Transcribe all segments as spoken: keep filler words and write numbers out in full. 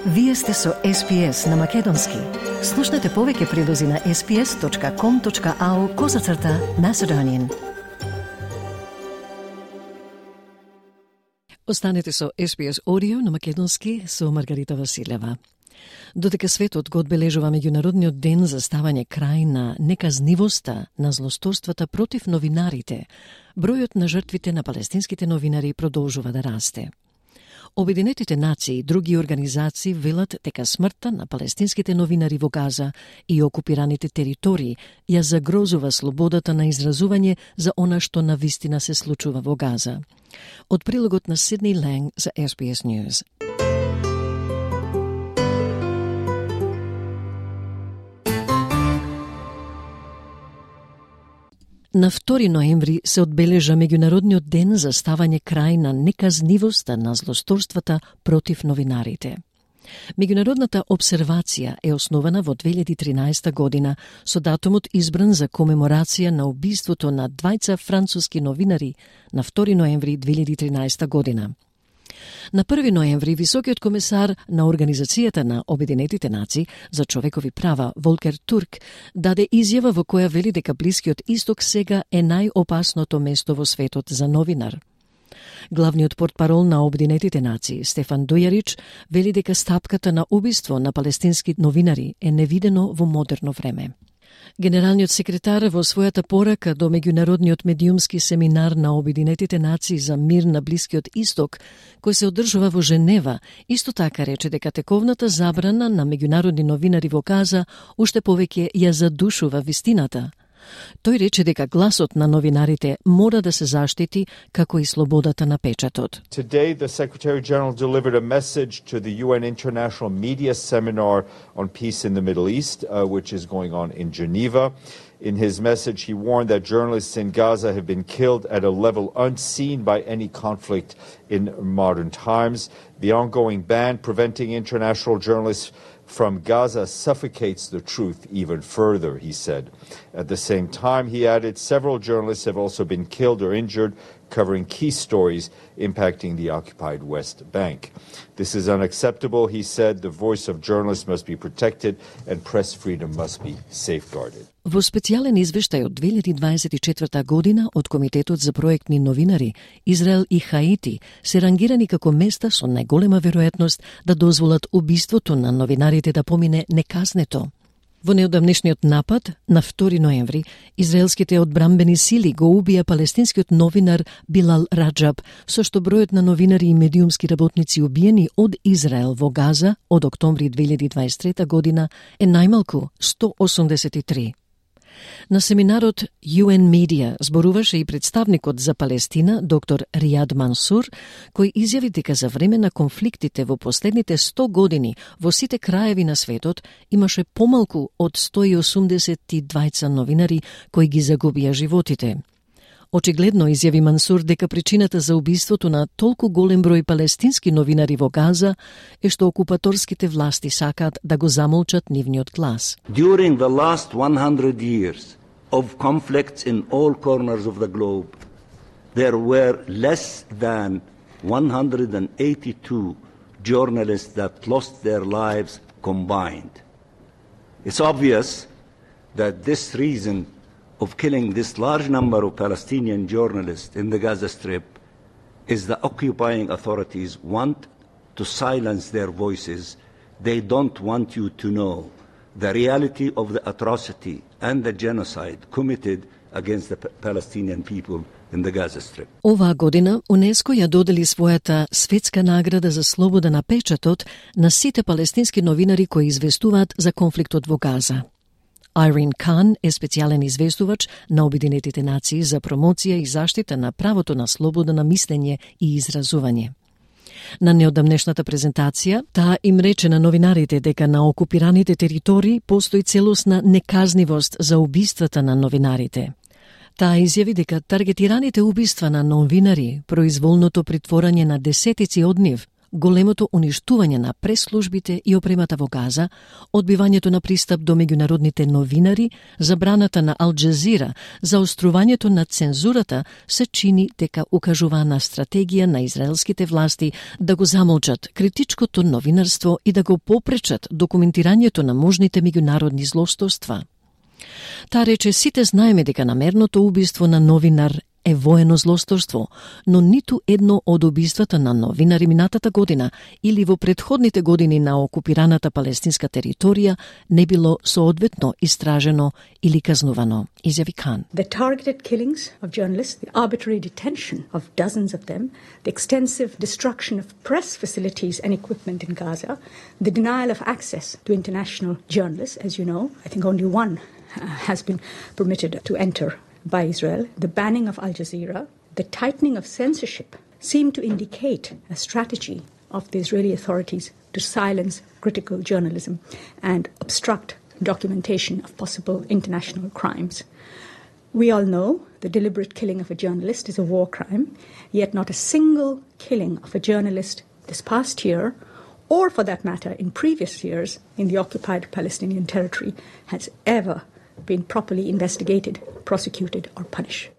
Вие сте со Ес Пи Ес на Македонски. Слушнете повеќе прилози на ес пи ес точка ком точка ау козацрта Macedonian. Останете со Ес Пи Ес Audio на Македонски со Маргарита Василева. Додека светот го одбележува меѓународниот ден за ставање крај на неказнивоста на злосторствата против новинарите, бројот на жртвите на палестинските новинари продолжува да расте. Обединетите нации и други организации велат дека смртта на палестинските новинари во Газа и окупираните територии ја загрозува слободата на изразување за она што навистина се случува во Газа. Од прилогот на Сидни Ланг за Ес Би Ес News. На втори ноември се одбележа меѓународниот ден за ставање крај на неказнивоста на злосторствата против новинарите. Меѓународната обсервација е основана во две илјади и тринаесета година со датумот избран за комеморација на убиството на двајца француски новинари на втори ноември две илјади и тринаесета година. На први ноември високиот комесар на Организацијата на Обединетите нации за човекови права Волкер Турк даде изјава во која вели дека Блискиот Исток сега е најопасното место во светот за новинар. Главниот портпарол на Обединетите нации Стефан Дујарич вели дека стапката на убиство на палестински новинари е невидено во модерно време. Генералниот секретар во својата порака до меѓународниот медиумски семинар на Обединетите нации за мир на Блискиот Исток, кој се одржува во Женева, исто така рече дека тековната забрана на меѓународни новинари во Газа уште повеќе ја задушува вистината. Тој рече дека гласот на новинарите мора да се заштити како и слободата на печатот. Today the Secretary General delivered a message to the U N International Media Seminar on Peace in the Middle East, uh, which is going on in Geneva. In his message, he warned that journalists in Gaza have been killed at a level unseen by any conflict in modern times. The ongoing ban preventing international journalists from Gaza suffocates the truth even further, he said. At the same time, he added, several journalists have also been killed or injured, covering key stories impacting the occupied West Bank. This is unacceptable, he said. The voice of journalists must be protected and press freedom must be safeguarded. Во специјален извештај од две илјади и дваесет и четврта година од Комитетот за проектни новинари, Израел и Хаити се рангирани како места со најголема веројатност да дозволат убиството на новинарите да помине неказнето. Во неодамнешниот напад, на втори ноември, израелските одбрамбени сили го убија палестинскиот новинар Билал Раджаб, со што бројот на новинари и медиумски работници убиени од Израел во Газа од октомври две илјади и дваесет и трета година е најмалку сто осумдесет и три. На семинарот Ю Ен Media зборуваше и представникот за Палестина, доктор Ријад Мансур, кој изјави дека за време на конфликтите во последните сто години во сите краеви на светот имаше помалку од сто и осумдесет и двајца новинари кои ги загубија животите. Очигледно изјави Мансур дека причината за убиството на толку голем број палестински новинари во Газа е што окупаторските власти сакаат да го замолчат нивниот глас. During the last one hundred years of conflicts in all corners of the globe, there were less than one hundred eighty-two journalists that lost their lives combined. It's obvious that this reason of killing this large number of Palestinian journalists in the Gaza Strip is the occupying authorities want to silence their voices. They don't want you to know the reality of the atrocity and the genocide committed against the Palestinian people in the Gaza Strip. Оваа година УНЕСКО ја додели својата светска награда за слобода на печатот на сите палестински новинари кои известуваат за конфликтот во Газа. Айрин Кан е специјален известувач на Обединетите нации за промоција и заштита на правото на слобода на мислење и изразување. На неодамнешната презентација, таа им рече на новинарите дека на окупираните територии постои целосна неказнивост за убиствата на новинарите. Таа изјави дека таргетираните убиства на новинари, произволното притворање на десетици од нив, големото уништување на прес-службите и опремата во Газа, одбивањето на пристап до меѓународните новинари, забраната на Ал Джазира, заострувањето на цензурата се чини дека укажува на стратегија на израелските власти да го замолчат критичкото новинарство и да го попречат документирањето на можните меѓународни злосторства. Та рече, сите знаеме дека намерното убиство на новинар е воено злосторство, но ниту едно од убиствата на новинари минатата година или во претходните години на окупираната палестинска територија не било соодветно истражено или казнувано, изјави Кан. The targeted killings of journalists, the arbitrary detention of dozens of them, the extensive destruction of press facilities and equipment in Gaza, the denial of access to international journalists, as you know, I think only one uh, has been permitted to enter by Israel, the banning of Al Jazeera, the tightening of censorship seem to indicate a strategy of the Israeli authorities to silence critical journalism and obstruct documentation of possible international crimes. We all know the deliberate killing of a journalist is a war crime, yet not a single killing of a journalist this past year, or for that matter in previous years in the occupied Palestinian territory, has ever been properly investigated, prosecuted or punished.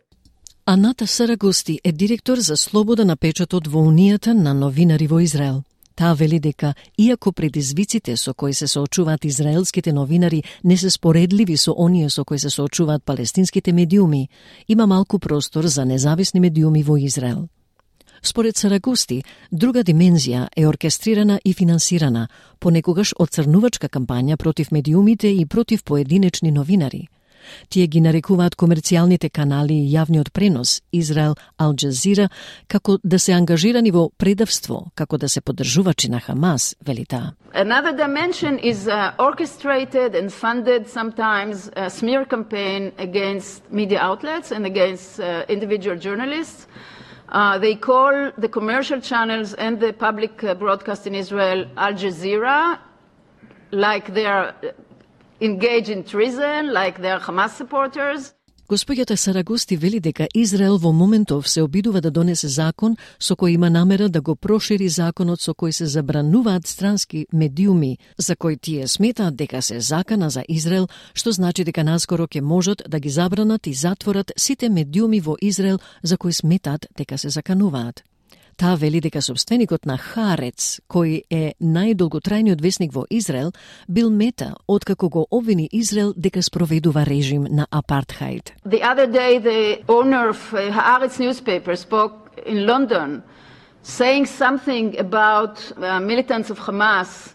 Аната Сарагости е директор за слобода на печатот во Унијата на новинари во Израел. Таа вели дека, иако предизвиците со кои се соочуваат израелските новинари не се споредливи со оние со кои се соочуваат палестинските медиуми, има малку простор за независни медиуми во Израел. Според Сарагости, друга димензија е оркестрирана и финансирана, понекогаш одцрнувачка кампања против медиумите и против поединечни новинари. Тие ги нарекуваат комерцијалните канали и јавниот пренос Израел Ал Джазира како да се ангажирани во предавство, како да се поддржувачи на Хамас, вели таа. Another dimension is uh, orchestrated and funded sometimes a smear campaign against media outlets and against uh, individual journalists. Uh, they call the commercial channels and the public uh, broadcast in Israel Al Jazeera, like they are engaged in treason, like they are Hamas supporters. Господјата Сарагости вели дека Израел во моментов се обидува да донесе закон со кој има намера да го прошири законот со кој се забрануваат странски медиуми, за кој тие сметаат дека се закана за Израел, што значи дека наскоро ќе можат да ги забранат и затворат сите медиуми во Израел за кои сметаат дека се закануваат. Таа вели дека собственикот на Хаарец, кој е најдолготрајниот весник во Израел, бил мета откако го обвини Израел дека спроведува режим на апартхаид. The other day the owner of Haaretz newspaper spoke in London saying something about uh, militants of Hamas,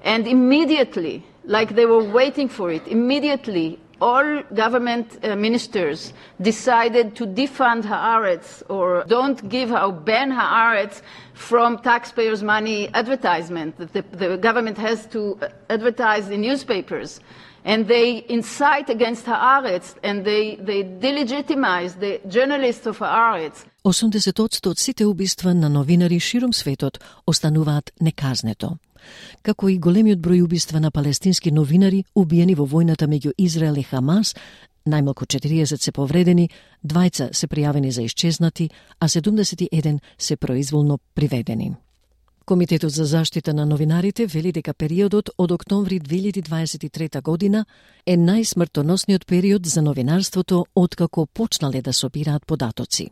and immediately, like they were waiting for it, immediately all government uh, ministers decided to defund Haaretz or don't give or ban Haaretz from taxpayers' money advertisement that the, the government has to advertise in newspapers. And they incite against Haaretz and they, they delegitimize the journalists of Haaretz. осумдесет одсто од сите убиства на новинари широм светот остануваат неказнето. Како и големиот број убиства на палестински новинари убиени во војната меѓу Израел и Хамас, најмалку четириесет се повредени, двајца се пријавени за исчезнати, а седумдесет и еден се произволно приведени. Комитетот за заштита на новинарите вели дека периодот од октомври две илјади дваесет и трета година е најсмртоносниот период за новинарството откако почнале да собираат податоци.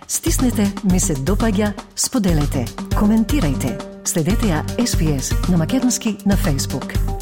Стиснете, ми се допаѓа, споделете, коментирајте. Следете ја Ес Би Ес на македонски на Facebook.